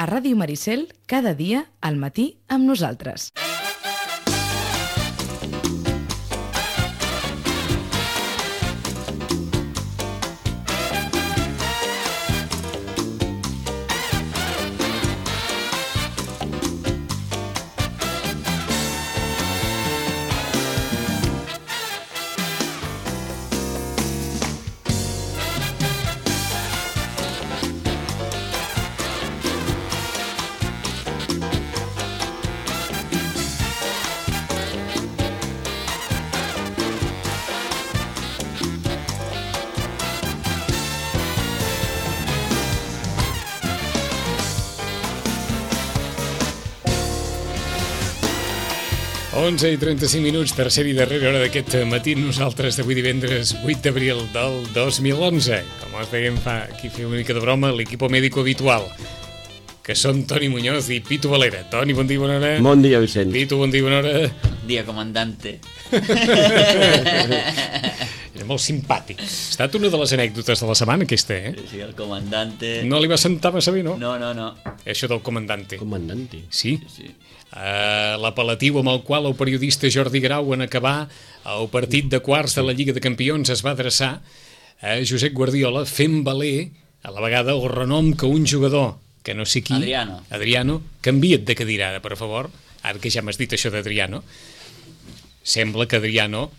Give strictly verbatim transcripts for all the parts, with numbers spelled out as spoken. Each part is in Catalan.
A Ràdio Maricel, cada dia, al matí, amb nosaltres. onze i trenta-cinc minuts, tercera i darrera hora d'aquest matí, nosaltres d'avui divendres vuit d'abril del dos mil onze. Com us dèiem, fa aquí fer una mica de broma, l'equipo médico habitual, que són Toni Muñoz i Pitu Valera. Toni, bon dia, bona hora. Bon dia, Vicent. Pitu, bon dia, bona hora. Bon dia, comandante. Era molt simpàtic. Ha estat una de les anècdotes de la setmana, aquesta, eh? Sí, el comandante... No li va sentar massa bé, no? No, no, no. Això del comandante. Comandante. Sí? Sí, sí. Uh, l'apel·latiu amb el qual el periodista Jordi Grau, en acabar el partit de quarts de la Lliga de Campions, es va adreçar a Josep Guardiola, fent valer a la vegada el renom que un jugador, que no sé qui... Adriano. Adriano, canvia't de cadira ara, per favor, ara que ja m'has dit això d'Adriano. Sembla que Adriano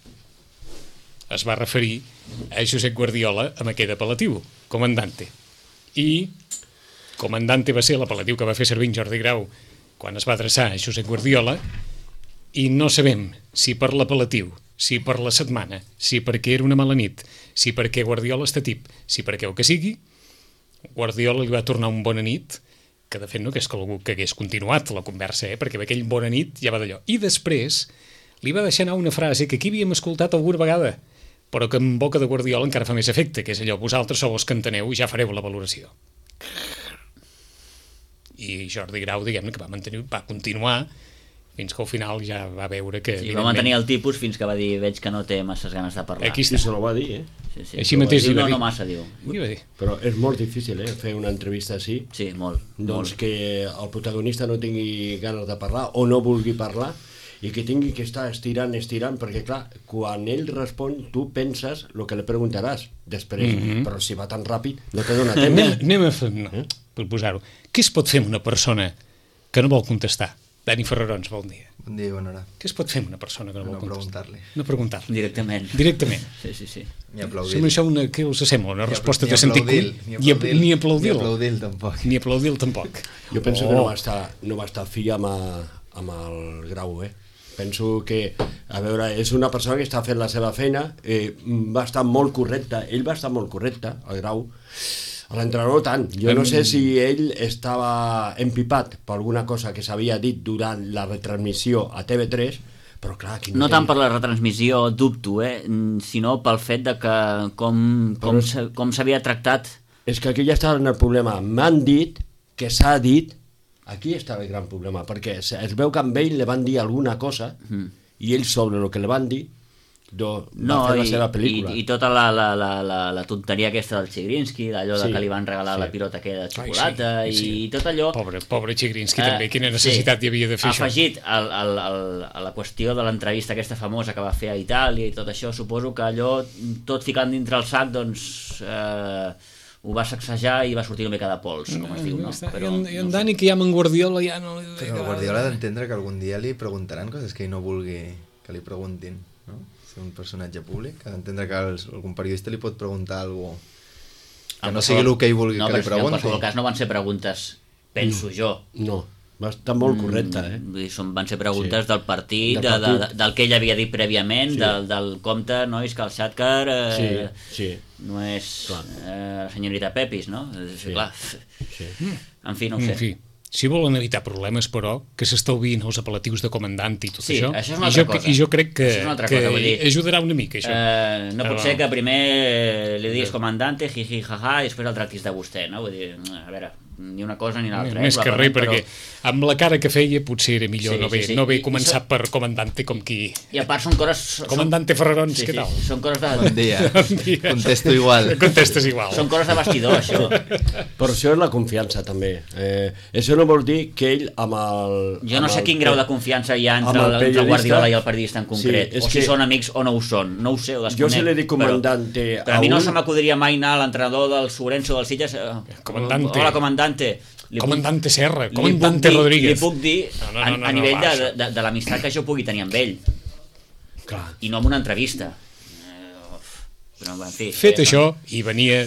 es va referir a Josep Guardiola amb aquest apel·latiu, comandante. I comandante va ser l'apel·latiu que va fer servir en Jordi Grau quan es va adreçar a Josep Guardiola, i no sabem si per l'apel·latiu, si per la setmana, si perquè era una mala nit, si perquè Guardiola està tip, si perquè el que sigui, Guardiola li va tornar un bona nit, que de fet no que és que algú que hagués continuat la conversa, eh? Perquè aquell bona nit ja va d'allò. I després li va deixar anar una frase que aquí havíem escoltat alguna vegada, però que en boca de Guardiola encara fa més efecte, que és allò, vosaltres sou els que enteneu i ja fareu la valoració. I Jordi Grau, diguem-ne, que va mantenir, va continuar fins que al final ja va veure que... Sí, va mantenir el tipus fins que va dir veig que no té masses ganes de parlar. Aquí Sí, se lo va dir, eh? Sí, sí. Així mateix diu, li va no, dir. no massa, diu. Què va dir? Però és molt difícil, eh, fer una entrevista així. Sí, molt. Doncs molt. que el protagonista no tingui ganes de parlar o no vulgui parlar i que tingui que estar estirant, estirant, perquè clar, quan ell respon tu penses el que li preguntaràs després, Mhm. però si va tan ràpid no te dona Anem, temps. anem a fer... No, per posar-ho. Què es pot fer amb una persona que no vol contestar? Dani Ferrarons, bon dia. Bon dia i bona hora. Què es pot fer amb una persona que no, No vol contestar? preguntar-li. No preguntar-li. Directament. Directament. Sí, sí, sí. Ni aplaudir. Sembla això una... Què us sembla? Una Ni resposta apl- de ni sentit aplaudir, comú? ni Ni ap- aplaudir, Ni aplaudir. ni aplaudir tampoc. Ni aplaudir tampoc. Jo penso Oh. que no va estar, no va estar fi amb, a, amb el Grau, eh? Penso que, a veure, és una persona que està fent la seva feina, eh, va estar molt correcta, ell va estar molt correcte, el Grau, l'entrenador tant. Jo no sé si ell estava empipat per alguna cosa que s'havia dit durant la retransmissió a T V tres, però clar... Aquí No té- tant per la retransmissió, dubto, eh? sinó pel fet de que com, com, Però és- s'ha- com s'havia tractat. És que aquí ja estava en el problema. M'han dit que s'ha dit... Aquí estava el gran problema, perquè es es veu que amb ell li van dir alguna cosa Mm. i ell sobre el que li van dir do, va No, fer la i, seva i, pel·lícula. i tota la, la, la, la, la tonteria aquesta del Chigrinsky, d'allò Sí, de que li van regalar sí. la pilota aquella de xocolata, Ai, sí, sí. i tot allò... Pobre, pobre Chigrinsky Eh, també, quina necessitat sí. hi havia de fer això. Afegit al, al, al, a la qüestió de l'entrevista aquesta famosa que va fer a Itàlia i tot això, suposo que allò, tot ficant dintre el sac, doncs eh, ho va sacsejar i va sortir una mica de pols, com es diu, no? Està- Però, I en, i en no sé. Dani, que ja amb en Guardiola ja no... li Però el Guardiola ha d'entendre que algun dia li preguntaran coses que ell no vulgui que li preguntin, no? Ser un personatge públic, ha d'entendre que els, algun periodista li pot preguntar alguna cosa que En no qualsevol- sigui el que ell vulgui no, que li però en pregunti. qualsevol cas no van ser preguntes, penso jo. No, va estar molt correcta, eh? Vull dir, són, van ser preguntes Sí. del partit, Del de, de, partit. de, del que ell havia dit prèviament, Sí. del, del compte, nois, que el Xatcar eh, Sí, sí, no és Clar. eh, la senyorita Pepis, no? És, Sí. clar. sí. En fi, no ho sé. En fi, si volen evitar problemes, però, que s'estalviïn els apel·latius de comandant i tot Sí, això, això és una i, jo, altra cosa. i jo crec que, Això és una altra que cosa, vull dir, ajudarà una mica, això. Eh, no Ah, pot va. ser que primer li diguis comandante, jiji, jaja, i després el tractis de vostè, no? Vull dir, a veure, ni una cosa ni l'altra. Més eh, que res, però... perquè amb la cara que feia potser era millor Sí, no haver sí, sí. no haver I- i començat so- per Comandante com qui... I a part són coses... Són... Comandante Ferrarons, sí, què sí, tal? són coses de... Bon dia. Bon dia. Contesto igual. Contestes igual. Són coses de vestidor, això. Però això és la confiança, també. Eh, això no vol dir que ell amb el... Jo no amb sé el- quin grau de confiança hi ha entre, amb el el, entre el periodista- Guardiola i el periodista en concret. Sí, és o si que- són amics o no ho són. No ho sé, ho desconec. Jo se li dic comandante Però, però a a mi no un- se m'acudiria mai anar a l'entrenador del Sorenso del Sitges. Eh, Comandante. Hola, comandante. Li puc- Comandante Serra, li Comandante puc dir- Rodríguez. Li puc dir No, no, a, no, no, a nivell no, de, va, de, de l'amistat que jo pugui tenir amb ell. Clar. I no amb una entrevista. Eh, però, en fi, Fet eh, això, i venia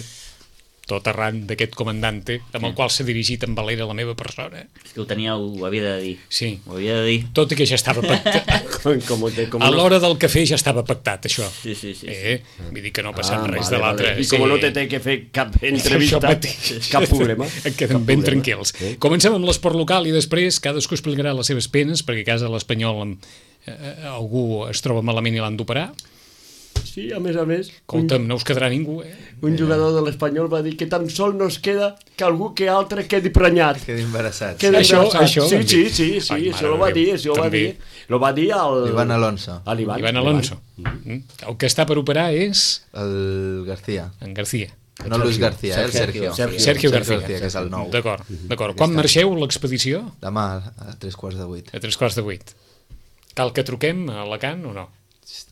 tot arran d'aquest comandante amb el qual s'ha dirigit en Valera la meva persona. És que ho tenia, ho havia de dir. Sí. Ho havia de dir. Tot i que ja estava pactat. Com, com, com A l'hora del cafè ja estava pactat, això. Sí, sí, sí. Eh? Vull dir que no ha passat Ah, res vale, de l'altre. vale. I com no te té que fer cap entrevista, Això mateix. cap problema. Et queden Cap ben problema. tranquils. Eh? Comencem amb l'esport local i després cadascú explicarà les seves penes, perquè a casa l'Espanyol amb, eh, algú es troba malament i l'han d'operar. Sí, a més a més, un, Escolta'm, no us quedarà ningú, eh? un jugador de l'Espanyol va dir que tan sol nos queda que algú que altre quedi prenyat. Quedi embarassat. Quedi Això- embarassat. això sí, van sí, dir. sí, sí, Ai, això mare ho va de dir, Déu, això ho va també. dir. Lo va dir al... Ivan Alonso. A l'Ivan. Ivan Alonso. Mm. El que està per operar és El García. en García. No Luis García, eh? el Sergio. Sergio. Sergio García. que és el nou. D'acord, d'acord. Quan marxeu l'expedició? Demà a tres quarts de vuit. A tres quarts de vuit. Cal que truquem a Alacant o no?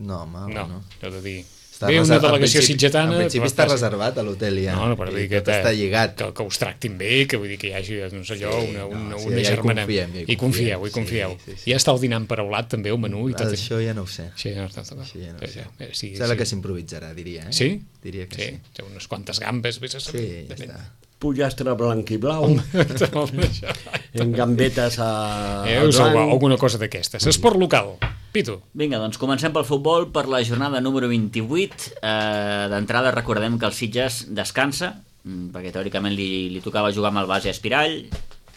No, home, No, no. heu de dir... Està Ve una reser- en delegació principi- sitgetana... En principi però està passa- reservat a l'hotel ja. No, no, però I dir que, tot està lligat. que, que us tractin bé, que vull dir que hi hagi doncs, allò, Sí, una, una, no, sí, una ja hi germana. confiem, ja hi I confieu, confiem. hi confieu. Sí, sí, sí. Ja està el dinar emparaulat també, el menú i tot. Això ja no ho sé. Sí, no, no, no. Això ja no ho sé. Eh, sí, Sembla sí. que s'improvisarà, diria. Eh? Sí? Diria que sí. Té unes quantes gambes, vés a saber. Sí, ja Depèn. està. Pollastre blanc i blau, Això. en gambetes a... Eh, al us alguna, blanc. alguna cosa d'aquestes. Esport local. Pitu. Vinga, doncs comencem pel futbol per la jornada número vint-i-vuit. Eh, D'entrada recordem que el Sitges descansa, mm, perquè teòricament li, li tocava jugar amb el base Espirall.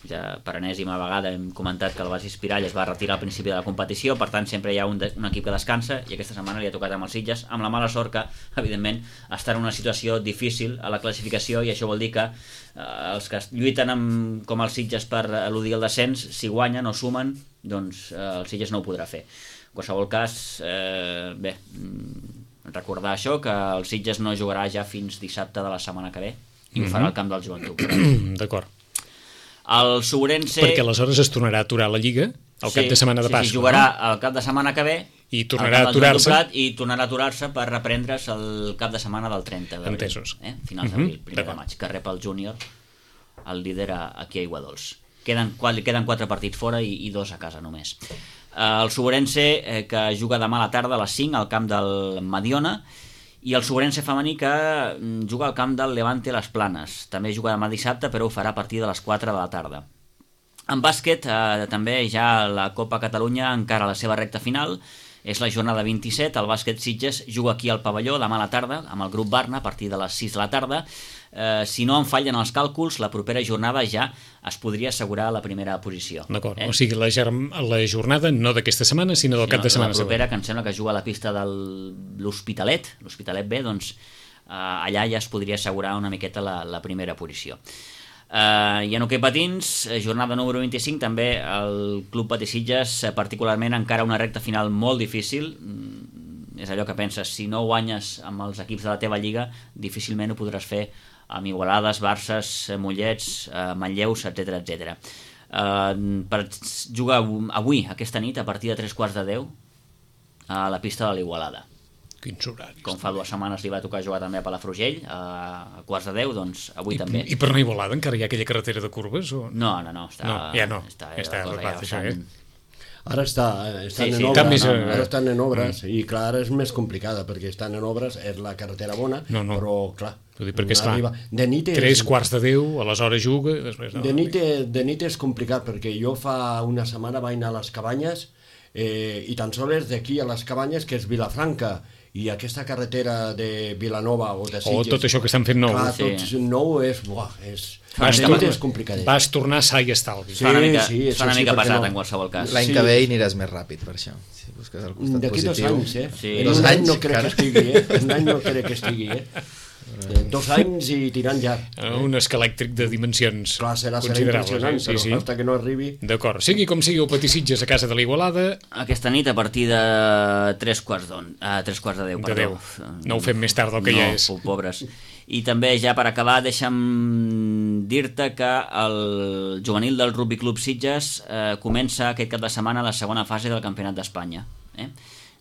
Ja per enèsima vegada hem comentat que el base Espirall es va retirar al principi de la competició, per tant sempre hi ha un, de, un equip que descansa, i aquesta setmana li ha tocat amb els Sitges, amb la mala sort que, evidentment, està en una situació difícil a la classificació, i això vol dir que eh, els que lluiten amb, com els Sitges per eludir el descens, si guanyen o sumen, doncs eh, el Sitges no ho podrà fer. En qualsevol cas, eh, bé, mm, recordar això, que el Sitges no jugarà ja fins dissabte de la setmana que ve, i ho farà al camp del Joventut. D'acord. El Sobrense... Perquè aleshores es tornarà a aturar la Lliga al cap de setmana de sí, Pasqua. sí, jugarà el cap de setmana que ve I tornarà al camp a del Joan aturar-se. Doblat, i tornarà a aturar-se per reprendre's el cap de setmana del trenta d'abril. Entesos. Eh? Finals Mhm, d'abril, primer de d'acord. maig, que rep el júnior, el líder a- aquí a Aiguadols. Queden, quatre- queden quatre partits fora i, i dos a casa només. Eh, el Sobrense, eh, que juga demà a la tarda a les cinc al camp del Mediona, i el Sobrense femení que mm, juga al camp del Levante Les Planes. També juga demà dissabte, però ho farà a partir de les quatre de la tarda. En bàsquet, eh, també ja la Copa Catalunya encara a la seva recta final, és la jornada vint-i-set, el bàsquet Sitges juga aquí al pavelló demà a la tarda, amb el grup Barna, a partir de les sis de la tarda. Eh, si no en fallen els càlculs, la propera jornada ja es podria assegurar la primera posició. D'acord, Eh? o sigui, la, germ... la jornada no d'aquesta setmana, sinó del Sí, cap de setmana la propera, següent. que em sembla que juga a la pista de l'Hospitalet, l'Hospitalet B, doncs eh, allà ja es podria assegurar una miqueta la, la primera posició. Uh, I en hoquei patins, eh, jornada número vint-i-cinc, també el Club Patí Sitges, eh, particularment encara una recta final molt difícil. Mm, és allò que penses, si no guanyes amb els equips de la teva lliga, difícilment ho podràs fer amb Igualades, Barces, eh, Mollets, eh, Manlleus, etcètera, etcètera. Uh, per jugar avui, aquesta nit, a partir de tres quarts de deu, a la pista de l'Igualada. Quins horaris. Com fa dues setmanes li va tocar jugar també a Palafrugell, a, a quarts de deu, doncs avui I, també. I per anar a Igualada encara hi ha aquella carretera de curves? O... No, no, no, està, No, ja no. està, Ja està, la cosa clar, ja això, bastant- eh? Ara està, estan Sí, en sí, obres, està més, no, eh, ara estan en obres i clar, ara és més complicada perquè estan en obres, és la carretera bona, No, no. però clar, Vull dir, perquè, esclar, arriba- de nit és, tres quarts de deu, aleshores juga... Després, no, de nit, és- de nit és complicat perquè jo fa una setmana vaig anar a les Cabanyes eh, i tan sols d'aquí a les Cabanyes, que és Vilafranca, i aquesta carretera de Vilanova o de Sitges... tot això que estan fent nou. Clar, Sí. tot nou és... Buah, és Vas, de tor nit és complicat. vas tornar sa i estalvi. Sí, fa una mica, sí, fa una això sí, mica per què pesat no? en qualsevol cas. L'any Sí. que ve hi aniràs més ràpid, per això. Si busques el costat D'aquí dos positiu. anys, eh? Sí. En Dos un any anys, no crec encara. que estigui, eh? En un any no crec que estigui, eh? Eh, dos anys i tirant ja. Un escalèctric de dimensions Clar, serà, serà considerables. impressionant, eh? però Sí, sí. hasta que no arribi... D'acord. Sigui com sigui, el Patí Sitges a casa de l'Igualada, Aquesta nit a partir de tres quarts d'on, a tres quarts de deu, de perdó. deu. No ho fem més tard del que no, ja és. No, pobres. I també, ja per acabar, deixa'm dir-te que el juvenil del Rugby Club Sitges eh, comença aquest cap de setmana la segona fase del Campionat d'Espanya. Eh?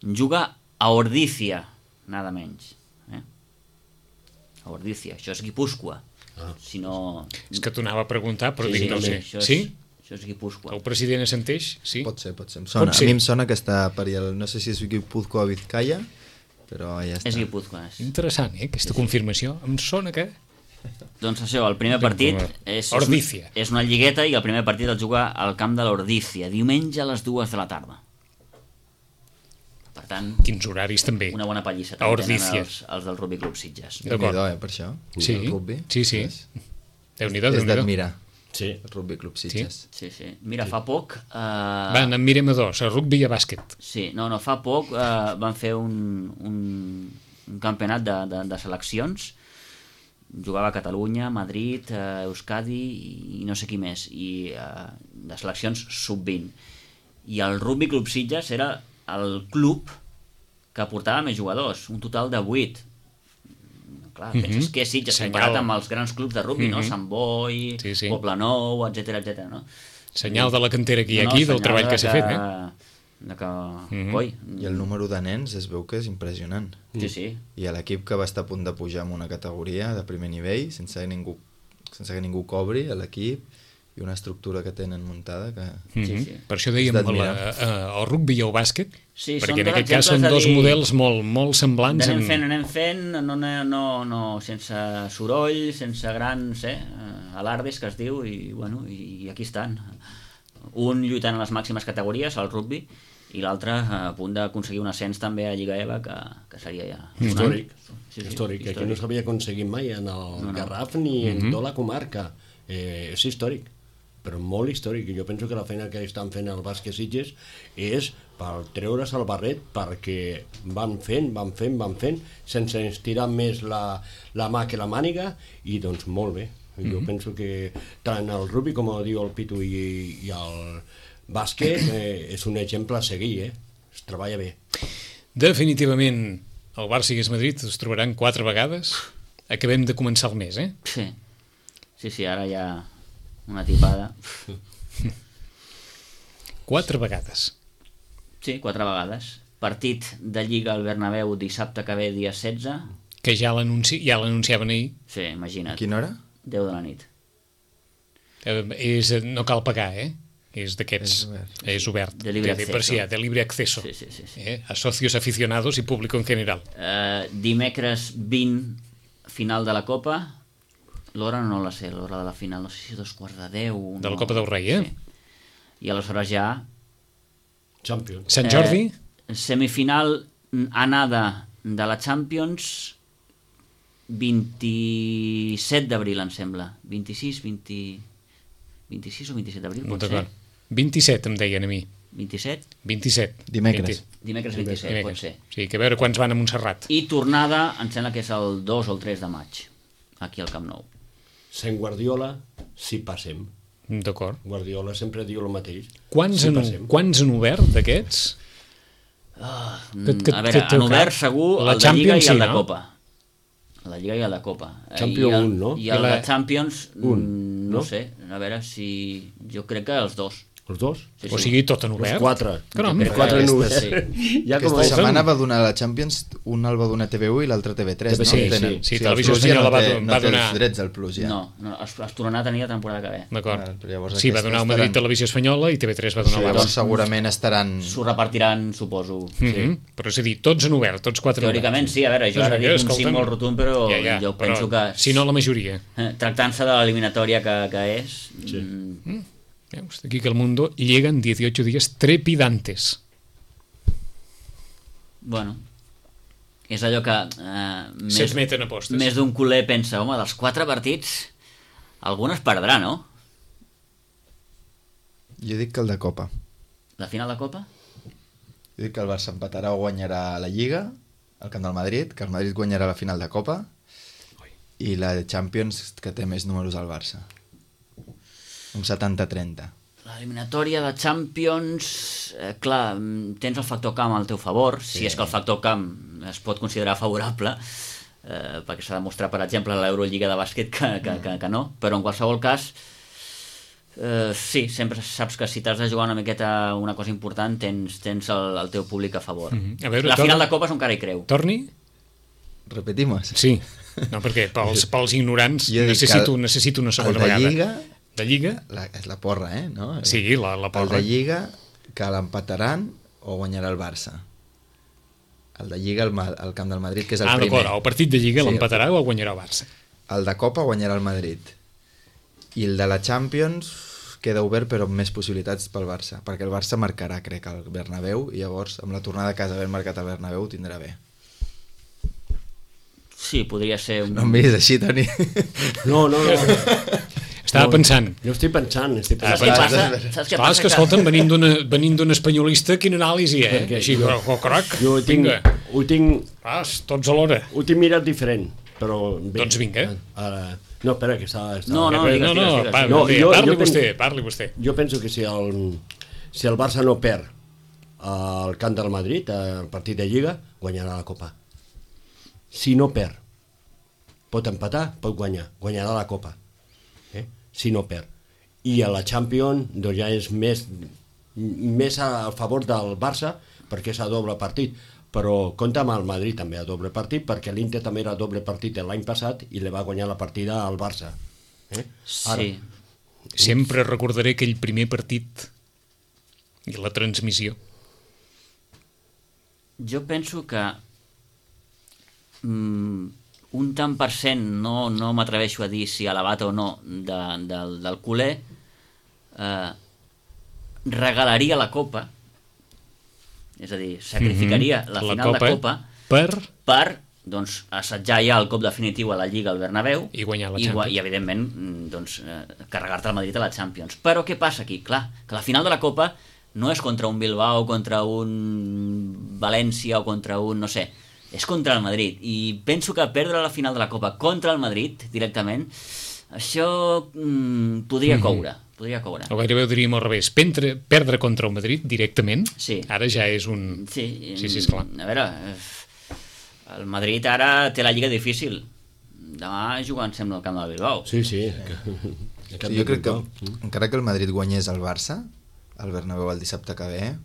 Juga a Ordícia, nada menys. Eh? A Ordícia, això és Guipúscoa. Ah. Si no... és que t'ho anava a preguntar, però Sí, dic, sí, no sí, sé. això és, Sí? Això és Guipúscoa. El president assenteix? Sí? Pot ser, pot ser. Em sona, Pot ser. A mi em sona que està per allà, no sé si és Guipúzcoa o Vizcaya, però ja està. És Guipúscoa. És. Interessant, eh, aquesta confirmació. Em sona que... Doncs això, el primer partit és, és, Ordícia. és una lligueta i el primer partit el juga al camp de l'Ordícia, diumenge a les dues de la tarda. Per tant, Quins horaris també. una bona pallissa A també Ordícia. tenen els, els del Rugby Club Sitges. D'acord. Déu-n'hi-do, eh, per això. Sí, El rugby. sí, sí. És, Déu-n'hi-do, és Déu-n'hi-do. d'admirar. Sí. El Rugby Club Sitges. Sí, sí. Mira, fa poc... Eh, Van, en mirem a dos, a rugby i a bàsquet. Sí, no, no, fa poc eh, van fer un, un, un campionat de, de, de seleccions. Jugava a Catalunya, Madrid, eh, Euskadi i, i no sé qui més, i eh, de seleccions sub vint. I el Rugby Club Sitges era el club que portava més jugadors, un total de vuit. Clar, Mhm. penses que és Sitges Senyal. comparat amb els grans clubs de rugby, no? Mhm. Sant Boi, Sí, sí. Poblenou, etcètera, etcètera, no? Senyal de la cantera que hi ha No, aquí, del senyal treball de que s'ha fet, eh? De que... Mhm. Coi, I el número de nens es veu que és impressionant. sí, sí. I a l'equip que va estar a punt de pujar en una categoria de primer nivell, sense que ningú, sense que ningú cobri a l'equip, i una estructura que tenen muntada que... Mhm. Sí, sí. Per això dèiem És el, d'admirar. eh, el rugby i el bàsquet, Sí, són perquè en dos aquest cas són exemples de dos dir- models molt, molt semblants. Anem en- fent, anem fent, no, no, no, no, sense soroll, sense grans eh, alardes, que es diu, i, bueno, i, i aquí estan. Un lluitant a les màximes categories, el rugby, i l'altre a punt d'aconseguir un ascens també a Lliga EVA, que, que seria ja... Històric. Sí, sí, històric, que no s'havia aconseguit mai en el no. Garraf ni en tota la comarca. Eh, és històric, però molt històric. I jo penso que la feina que estan fent el bàsquet Sitges és per treure's el barret, perquè van fent, van fent, van fent, sense estirar més la, la mà que la màniga, i doncs molt bé. Jo Mhm. penso que tant el rugby, com diu el Pitu, i, i el bàsquet, eh, és un exemple a seguir, eh? Es treballa bé. Definitivament, el Barça i el Madrid es trobaran quatre vegades. Acabem de començar el mes, eh? Sí, sí, sí, ara hi ha una tipada. Quatre vegades. Sí, quatre vegades. Partit de Lliga al Bernabéu dissabte que ve, dia setze. Que ja l'anunci ja l'anunciaven ahir. Sí, imagina't. A quina hora? deu de la nit. Eh, és, no cal pagar, eh? És d'aquests... És obert. És obert. De libre per acceso. si, de libre acceso. Sí, sí, sí, sí. Eh? A socios aficionados y público en general. Eh, dimecres vint, final de la Copa. L'hora no la sé, l'hora de la final, no sé si dos quarts de deu... De la no. Copa del Rei, eh? Sí. I aleshores ja... Champions. Sant Jordi? Eh, semifinal anada de la Champions vint-i-set d'abril, em sembla. vint-i-sis, vint... vint-i-sis o vint-i-set d'abril, pot ser? D'acord. vint-i-set em deien a mi. vint-i-set? vint-i-set. Dimecres. vint Dimecres vint-i-set, pot ser. Sí, que a veure quants van a Montserrat. I tornada, em sembla que és el dos o el tres de maig, aquí al Camp Nou. Sant Guardiola, si passem. D'acord. Guardiola sempre diu el mateix. Quants, si han, passem. quants han obert d'aquests? Que- que- a veure, que teu han obert cap. segur La el de Lliga Champions, i el sí, de no? Copa. La Lliga i el de Copa. Champions I el, un, no? I el I la- de Champions, Un, mm, no, no? sé, a veure si... Jo crec que els dos. Els dos? Sí, O sí. sigui, tot en Els obert? quatre. Caram. Els quatre en Aquesta- obert. sí. Ja com Aquesta el setmana va donar la Champions, un el va donar T V u i l'altre T V tres, T V no? sí, Tenen- sí. Sí, el Televisió Plus ja Espanyola no va té, do- no va té donar- els drets al Plus ja. No, no es, es tornarà a tenir la temporada que ve. D'acord. Val, però llavors Sí, va aquests donar a estaran- Madrid Televisió Espanyola i T V tres va donar Sí, a llavors l'Abans. segurament estaran... S'ho repartiran, suposo. Mm -hmm. Però és a dir, tots han obert, tots quatre han obert. Teòricament sí, a veure, jo ara dic un sí molt rotund, però ja, ja, jo però penso que... si no la majoria. eh, Tractant-se de l'eliminatòria que, que és... Sí. mm, Veus, aquí que el mundo llegan dieciocho días trepidantes. Bueno, és allò que eh, més, S'admeten apostes. més d'un culer pensa, home, dels quatre partits algun es perdrà, no? Jo dic que el de Copa. La final de Copa? Jo dic que el Barça empatarà o guanyarà la Lliga, al camp del Madrid, que el Madrid guanyarà la final de Copa i la Champions que té més números al Barça. Un setanta trenta. L'eliminatòria de Champions, eh, clar, tens el factor camp al teu favor, sí. Si és que el factor camp es pot considerar favorable, eh, perquè s'ha demostrat, per exemple, a l'Eurolliga de bàsquet que, que, que, que no, però en qualsevol cas, eh, sí, sempre saps que si t'has de jugar una miqueta una cosa important, tens, tens el, el teu públic a favor. Mm-hmm. A veure, la torna... final de Copa és un cara i creu. Torni? Repetimos? Sí. No, perquè pels, pels ignorants necessito, el, necessito una segona de vegada. Lliga, de Lliga? La, és la porra, eh? No? Sí, la, la porra. El de Lliga, que l'empataran o guanyarà el Barça. El de Lliga, el, el camp del Madrid, que és el ah, primer. Ah, el partit de Lliga sí, l'empatarà o el guanyarà el Barça? El de Copa guanyarà el Madrid. I el de la Champions queda obert però amb més possibilitats pel Barça, perquè el Barça marcarà, crec, al Bernabéu, i llavors amb la tornada a casa haver marcat al Bernabéu ho tindrà bé. Sí, podria ser un... No em miris així, Toni. No, no, no. Estava no, pensant. Jo estic pensant. Estic pensant. Saps què passa? Saps què Clar, és que, escolta'm, venint d'una venint d'un espanyolista, quina anàlisi, eh? Perquè Així, jo, oh, croc, jo ho tinc, vinga. Ho tinc, Vas, tots alhora. ho tinc mirat diferent, però... Bé, Doncs vinga. Ara, no, espera, que està... està No, no, no, digues, no, digues, no, digues, pa, digues. No, bé, jo- parli jo pen- vostè, parli vostè. Jo penso que si el, si el Barça no perd al camp del Madrid, al partit de Lliga, guanyarà la Copa. Si no perd, pot empatar, pot guanyar, guanyarà la Copa. Eh? Si no perd. I a la Champions doncs ja és més, més a favor del Barça, perquè és a doble partit. Però compta amb el Madrid també a doble partit, perquè l'Inter també era doble partit l'any passat i li va guanyar la partida al Barça. Eh? Ara, Sí. Sempre recordaré aquell primer partit i la transmissió. Jo penso que mm, un tant per cent, no, no m'atreveixo a dir si elevat o no, de, del, del culer, eh, regalaria la Copa, és a dir, sacrificaria Mhm. la La final Copa de Copa per... per doncs, assetjar ja el cop definitiu a la Lliga al Bernabéu I guanyar la i, gua- Champions. i evidentment, mm, doncs, eh, carregar-te el Madrid a la Champions. Però què passa aquí? Clar, que la final de la Copa no és contra un Bilbao, contra un València o contra un, no sé, és contra el Madrid. I penso que perdre la final de la Copa contra el Madrid, directament, això mm, podria Mhm. coure. Podria coure. O gairebé ho diríem al revés. Pendre, perdre contra el Madrid directament, Sí. ara ja és un... Sí, sí, sí, esclar. A veure, eh, el Madrid ara té la Lliga difícil. Demà juga, em sembla, al camp del Bilbao. sí, sí. Sí, jo crec que encara que el Madrid guanyés el Barça, el Bernabéu el dissabte que ve,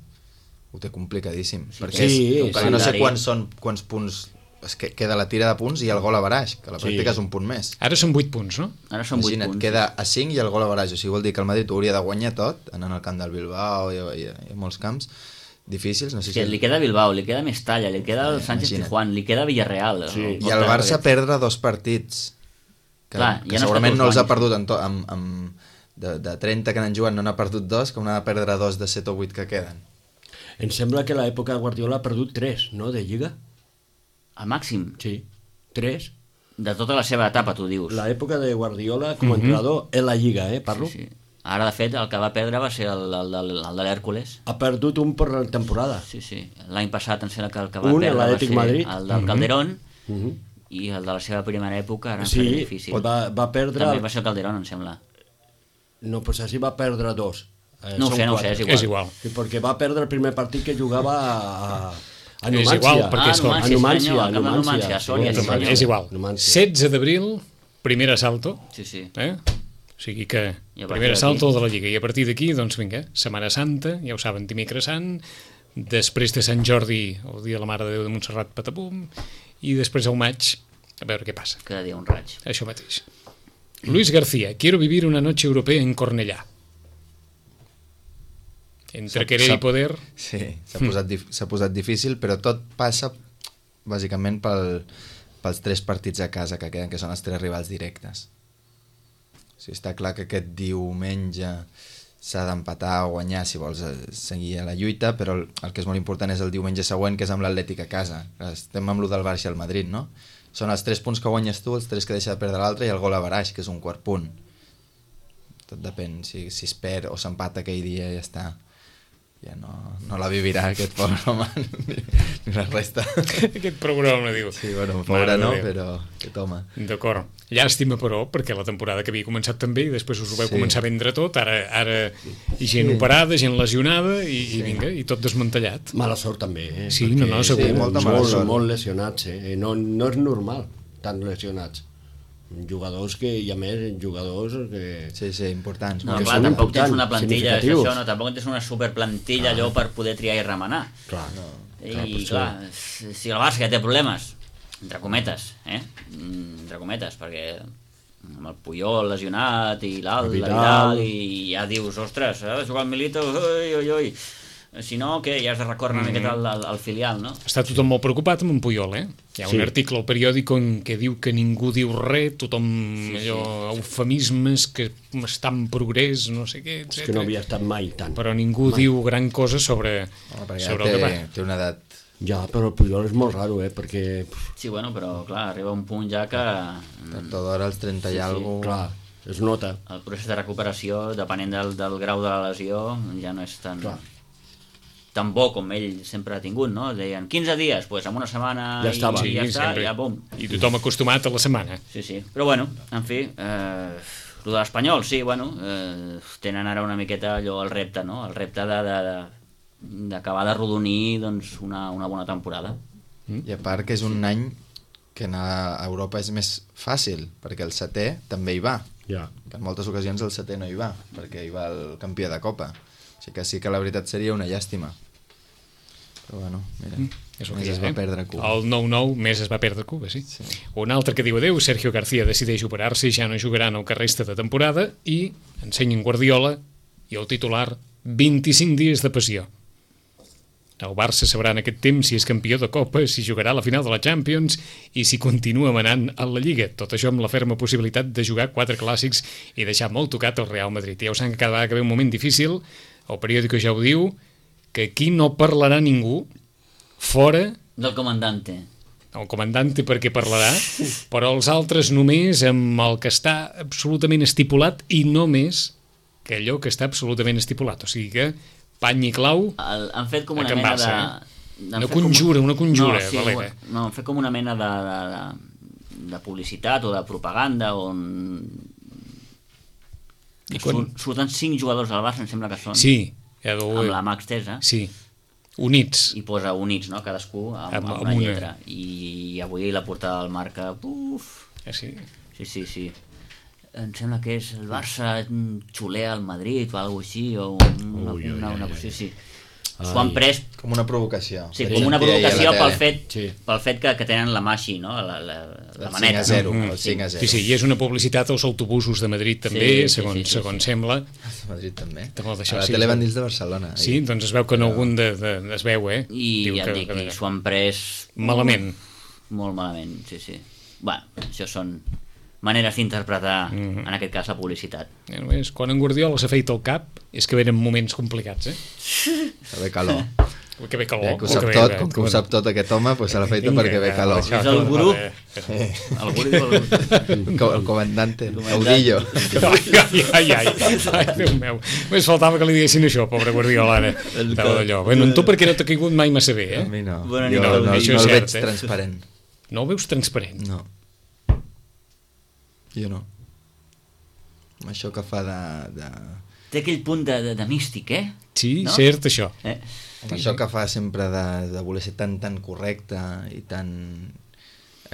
ho té complicadíssim. Sí, perquè sí, és, sí. perquè no sé calendari. quants són quants punts es que queda la tira de punts i el gol a baraix, que a la Sí. pràctica és un punt més. Ara són vuit punts, no? Ara són vuit Imagina't, punts. queda a cinc i el gol a baraix, o sigui, vol dir que el Madrid ho hauria de guanyar tot, anant al camp del Bilbao i, i, i a molts camps difícils, no sé Que si... li queda Bilbao, li queda Mestalla, li queda el Sí, Sánchez imagina't. Pizjuán, li queda Villarreal. Sí. I el Barça perdre dos partits que, Clar, que ja no segurament està no els tots ha perdut en to, amb, amb, de, de trenta que n'han jugat no n'ha perdut dos, com n'ha de perdre dos de set o vuit que queden. Em sembla que l'època de Guardiola ha perdut tres, no?, de Lliga. Al màxim, Sí, tres. de tota la seva etapa, tu dius. L'època de Guardiola com a Mhm. entrenador en la Lliga, eh, parlo. Sí, sí. Ara, de fet, el que va perdre va ser el, el, el, el de l'Hèrcules. Ha perdut un per temporada. Sí, sí. L'any passat em sembla que el que va Un, perdre va l'Atlètic ser Madrid. el del Calderón, Mhm. i el de la seva primera època era Sí, sí, difícil. va, va perdre... També va ser el Calderón, em sembla. No, pues així va perdre dos. Eh, No ho són sé, no ho sé, quatre. és igual. És igual. Sí, perquè va perdre el primer partit que jugava a, a És Numància. igual, perquè Ah, és com- Numància, a Numància, senyor, al camp de Numància, Numància, a Sòria, sí, sí, senyor. És igual. Numància. setze d'abril, primer assalto, Sí, sí. eh? O sigui que I a partir primer d'aquí? assalto de la Lliga. I a partir d'aquí, doncs vinga, Setmana Santa, ja ho saben, dimecres sant, després de Sant Jordi, el dia de la Mare de Déu de Montserrat, patapum, i després al maig, a veure què passa. Cada dia un raig. Això mateix. Luis García, quiero vivir una noche europea en Cornellà. Entre S'ha- querer s'ha- i poder... Sí, s'ha posat, dif- s'ha posat difícil, però tot passa bàsicament pel, pels tres partits a casa que queden, que són els tres rivals directes. O sigui, està clar que aquest diumenge s'ha d'empatar o guanyar si vols eh, seguir a la lluita, però el, el que és molt important és el diumenge següent, que és amb l'Atlètic a casa. Estem amb lo del Barça i el Madrid, no? Són els tres punts que guanyes tu, els tres que deixa de perdre l'altre i el gol a baraix, que és un quart punt. Tot depèn, si, si es perd o s'empata aquell dia ja està. ja no, no la vivirà aquest pobre home ni, ni la resta. Aquest programa, diu. Sí, bueno, pobre no, però aquest home. D'acord. Llàstima, però, perquè la temporada que havia començat també i després us ho veu Sí. començar a vendre tot, ara, ara gent operada, gent lesionada i, i vinga, i tot desmantellat. Mala sort també, eh? Sí, no, no, Perquè segur. Sí, molta mala molt, sort. molt lesionats, eh? No, no és normal, tan lesionats. Jugadors que, i a més, jugadors que... Sí, sí, importants. No, que clar, són tampoc tens importants, una plantilla, és significatius. això, no? Tampoc tens una superplantilla allò per poder triar i remenar. Clar, no. I, Clar, per clar, si el Barça ja té problemes, entre cometes, eh? Mm, entre cometes, perquè amb el Puyol lesionat i l'Alt, El la Vidal. Vidal, i ja dius, ostres, ha de jugar el Milito, ui, ui, ui. Si no, què? Ja has de recórrer una miqueta al, al, al filial, no? Està tothom molt preocupat amb en Puyol, eh? Hi ha un Sí. article al periòdic on que diu que ningú diu res, tothom Sí, sí. allò, eufemismes, que està en progrés, no sé què, És etcètera. que no havia estat mai tant. Però ningú diu gran cosa sobre, Home, perquè sobre ja el que té, va. té una edat... Ja, però el Puyol és molt raro, eh? Perquè, pf, Sí, bueno, però clar, arriba un punt ja que Tard o d'hora, als trenta Sí, i sí, alguna clar, es nota. el procés de recuperació, depenent del, del grau de la lesió, ja no és tan, Clar. tan bo com ell sempre ha tingut, no? Deien quinze dies, doncs pues, en una setmana Ja i, estava. i ja Sí, està, sempre. ja bum. I tothom acostumat a la setmana. Sí, sí. Però bueno, en fi, eh, el de l'Espanyol, sí, bueno, eh, tenen ara una miqueta allò el repte, no? El repte de, de, de, d'acabar de rodonir doncs, una, una bona temporada. I a part que és un any que anar a Europa és més fàcil, perquè el setè també hi va. Ja. Que en moltes ocasions el setè no hi va, perquè hi va el campió de Copa. O sigui que sí que la veritat seria una llàstima. Però bueno, mira, És el més que hi es ha, va eh? perdre Cuba. El nou nou més es va perdre Cuba, sí. Sí. Un altre que diu adeu, Sergio García decideix operar-se i ja no jugarà en el que resta de temporada i ensenyen Guardiola i el titular vint-i-cinc dies de passió. El Barça sabrà en aquest temps si és campió de Copa, si jugarà a la final de la Champions i si continua manant a la Lliga. Tot això amb la ferma possibilitat de jugar quatre clàssics i deixar molt tocat el Real Madrid. Ja ho saben que cada vegada que ve un moment difícil, el periòdico ja ho diu, que aquí no parlarà ningú fora Del comandante. el comandante perquè parlarà, però els altres només amb el que està absolutament estipulat i no més que allò que està absolutament estipulat. O sigui que pany i clau, El, han fet com A una Can mena Barça, de... eh? han Una fet com- conjura, una conjura, no, sí, Valera. no, han fet com una mena de, de, de, de publicitat o de propaganda on I quan- Sur, surten cinc jugadors del Barça, em sembla que són, sí, ja amb deu- la mà extesa, sí, units. i posa units, no?, cadascú amb, Amb- amb, amb una una. lletra. I avui la portada del Marca, uf, Ja, sí. sí, sí, sí. Em sembla que és el Barça mm, xulea al Madrid o alguna així, o una, Ui, ui, una, una ai, cosa ai. així. S'ho han pres Com una provocació. sí, De com una sentir ahir a la provocació pel tele. fet, Sí. pel fet que, que tenen la mà així, no?, la, la, la El maneta. cinc a zero, no? el cinc a zero. Sí, sí, i és una publicitat als autobusos de Madrid també, Sí, sí, segons, sí, sí, segons sí. sembla. A Madrid també. Te vol deixar, A la sí, tele sí. van dins de Barcelona. ahir. Sí, doncs es veu que en algun de, de, es veu, eh? I Diu ja que- et dic, que- i s'ho han pres... Malament. Molt malament, sí, sí. Bueno, això són maneres d'interpretar, Mhm. en aquest cas, la publicitat. Eh, només, quan en Guardiola s'afeita el cap és que venen moments complicats, eh? Que ve calor. Que ve calor. Eh, que ho o sap ve- tot, ve- com que ho sap tot aquest home, doncs se l'ha feita Vinga, perquè ve ja, calor. això, És el gurú. vale. El guri diu el... Com el comandante, caudillo. Ai, ai, ai, ai, ai, Déu meu. Només faltava que li diguessin això, pobre Guardiola, ara. Estava d'allò. Bueno, en tu perquè no t'ha caigut mai massa bé, A eh? mi no. Bona Jo nit, no, no, això no és el cert, veig eh? transparent. No el veus transparent. No. Jo no. Amb això que fa de... de... Té aquell punt de, de, de místic, eh? Sí, No? cert, això. eh? Amb això que fa sempre de, de voler ser tan tan correcte i tan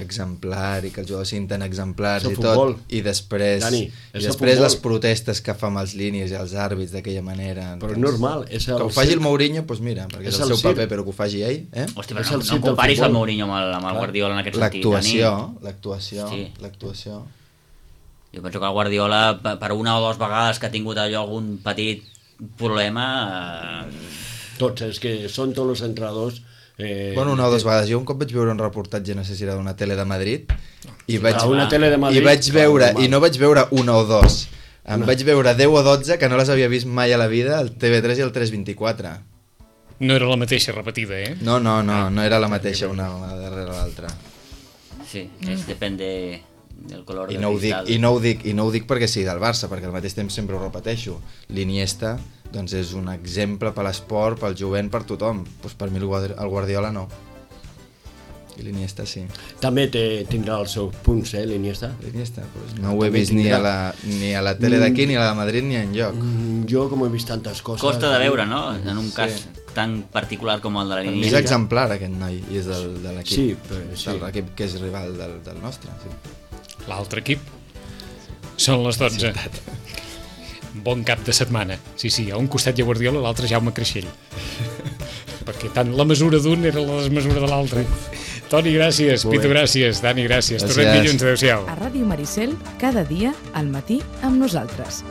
exemplar i que els jugadors siguin tan exemplars És el i tot, futbol. i després, Dani, i és el després futbol. les protestes que fa amb els línies i els àrbits d'aquella manera. Però és normal, és el que ho faci circ. el Mourinho, doncs mira, perquè és, És el el seu circ. paper, però que ho faci ell, eh? Hòstia, És però el no, circ no del comparis el futbol. Mourinho amb el, amb el Guardiola en aquest sentit. L'actuació, Dani. l'actuació, Sí. l'actuació. Jo penso que el Guardiola, pe- per una o dues vegades que ha tingut allò algun petit problema... Eh... Tots, és que són tots els entrenadors... Eh, Bueno, una o dues vegades. Jo un cop vaig veure un reportatge, no sé si era d'una tele de Madrid, i vaig, a una tele de Madrid, i vaig clar, veure, normal. i no vaig veure una o dos, em vaig veure deu o dotze que no les havia vist mai a la vida, el T V tres i el tres vint-i-quatre. No era la mateixa repetida, eh? No, no, no, no era la mateixa una, una darrere l'altra. Sí, es depèn de, el color I de no, ho dic, cristal. i, no ho dic, I no ho dic perquè sigui del Barça, perquè al mateix temps sempre ho repeteixo. L'Iniesta doncs, és un exemple per l'esport, pel jovent, per tothom. Doncs per mi el Guardi- el Guardiola no. I l'Iniesta sí. També té, tindrà els seus punts, eh, l'Iniesta. L'Iniesta, doncs, no ho he També vist ni tindrà. a, la, ni a la tele d'aquí, ni a la de Madrid, ni enlloc. Mm, Jo, com he vist tantes coses... Costa de veure, no? En un Sí. cas tan particular com el de la Per mi és Iniesta. exemplar aquest noi, i és del, de l'equip. Sí, però sí. De l'equip que és rival del, del nostre. Sí. L'altre equip. Són les dotze. Bon cap de setmana. Sí, sí, a un costat hi ha Guardiola, a l'altre Jaume Creixell. Perquè tant la mesura d'un era la desmesura de l'altre. Toni, gràcies. Molt bé. Pitu, gràcies. Dani, gràcies. Gràcies. Tornem dilluns. Adéu-siau. A Ràdio Maricel, cada dia, al matí, amb nosaltres.